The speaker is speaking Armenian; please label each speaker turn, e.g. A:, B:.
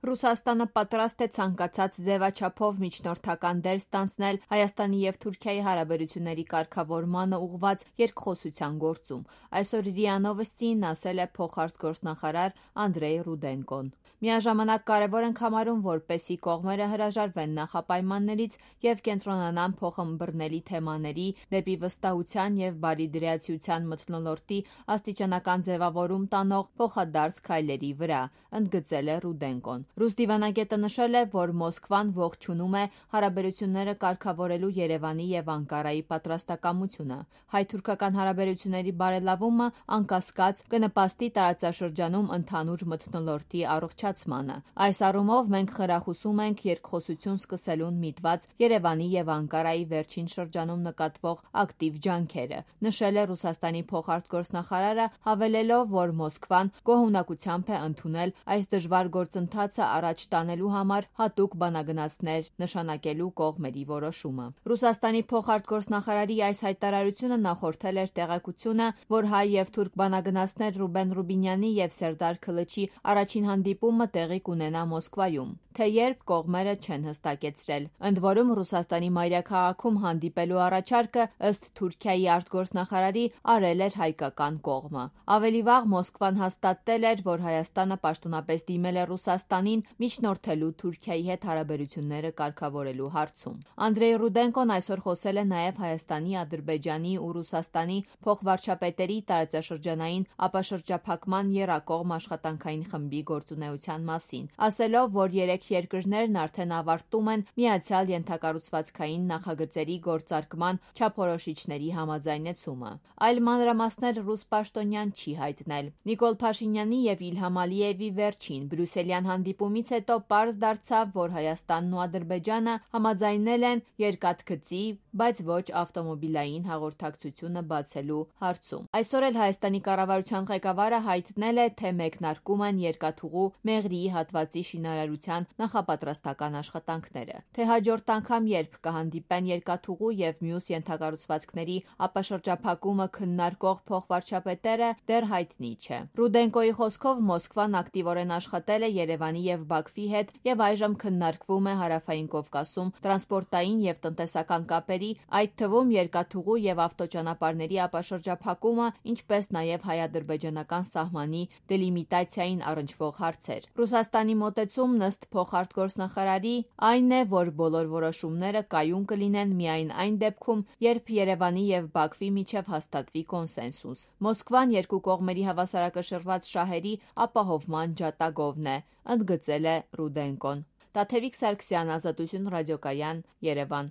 A: Ռուսաստանը պատրաստ է ցանկացած ձևաչափով միջնորդական դեր ստանձնել Հայաստանի և Թուրքիայի հարաբերությունների կարգավորմանը ուղղված երկխոսության գործում, այսօր ՌԻԱ Նովոստիին ասել է փոխարտգործնախարար Անդրեյ Ռուդենկոն: Միաժամանակ կարևոր ենք համարում, որպեսզի կողմերը հրաժարվեն նախապայմաններից և կենտրոնանան փոխըմբռնելի թեմաների, դեպի վստահության և բարիդրացիության մթնոլորտի աստիճանական ձևավորում տանող փոխադարձ քայլերի վրա, ընդգծել է Ռուդենկոն: Ռուս դիվանագետը նշել է, որ Մոսկվան ողջունում է հարաբերությունները կարգավորելու Երևանի և Անկարայի պատրաստակամությունը: Հայ-թուրքական հարաբերությունների բարելավումը, անկասկած, կնպաստի տարածաշրջանում ընդհանուր մթնոլորտի առողջացմանը: Այս առումով մենք խրախուսում ենք երկխոսություն սկսելուն միտված Երևանի և Անկարայի վերջին շրջանում նկատվող ակտիվ ջանքերը, նշել է Ռուսաստանի փոխարտգործնախարարը, հավելելով, որ Մոսկվան գոհունակությամբ է ընդունել այս դժվար գործընթացը առաջ տանելու համար հատուկ բանագնացներ նշանակելու կողմերի որոշումը: Ռուսաստանի փոխարտգործնախարարի այս հայտարարությունը նախորդել էր տեղեկությունը, որ հայ և թուրք բանագնացներ Ռուբեն Ռուբինյանի և Սերդար Քլչի առաջին հանդիպումը տեղի կունենա Մոսկվայում, թե երբ կողմերը չեն հստակեցրել: Ընդ որում, Ռուսաստանի մայրաքաղաքում հանդիպելու առաջարկը, ըստ Թուրքիայի արտգործնախարարի, արել էր հայկական կողմը: Ավելի վաղ Մոսկվան հաստատել էր, որ Հայաստանը պաշտոնապես դիմել է Ռուսաստանին միջնորդելու Թուրքիայի հետ հարաբերությունները կարգավորելու հարցում: Անդրեյ Ռուդենկոն այսօր խոսել է նաև Հայաստանի, Ադրբեջանի ու Ռուսաստանի փոխվարչապետերի տարածաշրջանային ապաշրջափակման եռակողմ աշխատանքային խմբի գործունեության մասին, ասելով, որ երեք երկրներն արդեն ավարտում են միացյալ ենթակառուցվածքային նախագծերի գործարկման չափորոշիչների համաձայնեցումը: Այլ մանրամասներ ռուս պաշտոնյան չի հայտնել: Նիկոլ Փաշինյանի և Իլհամ Ալիևի վերջին բրյուսելյան հանդիպումից հետո պարզ դարձավ, որ Հայաստանն ու Ադրբեջանը համաձայնել են երկաթգծի, բայց ոչ ավտոմոբիլային հաղորդակցությունը բացելու հարցում: Այսօր էլ Հայաստանի կառավարության ղեկավարը հայտնել է, թե մեկնարկում են երկաթուղու Մեղրիի հատվածի շինարարության նախապատրաստական աշխատանքները: Թե հաջորդ անգամ երբ կհանդիպեն երկաթուղու և մյուս ենթակառուցվածքների ապաշրջափակումը քննարկող փոխվարչապետերը, դեռ հայտնի չէ: Ռուդենկոյի խոսքով Մոսկվան ակտիվորեն աշխատել է Երևանի և Բաքվի հետ և այժմ քննարկվում է Հարավային Կովկասում տրանսպորտային և տնտեսական կապերի, այդ թվում երկաթուղու և ավտոճանապարհների ապաշրջափակումը, ինչպես նաև հայ-ադրբեջանական սահմանի դելիմիտացիային առնչվող հարցեր: Ռուսաստանի մոտեցումն, ըստ փոխարտգործնախարարի, այն է, որ բոլոր որոշումները կայուն կլինեն միայն այն դեպքում, երբ Երևանի և Բաքվի միջև հաստատվի կոնսենսուս: Մոսկվան երկու կողմերի հավասարակշռված շահերի ապահովման ջատագովն է, ընդգծել է Ռուդենկոն: Տաթևիկ Սարգսյան, Ազատություն ռադիոկայան, Երևան: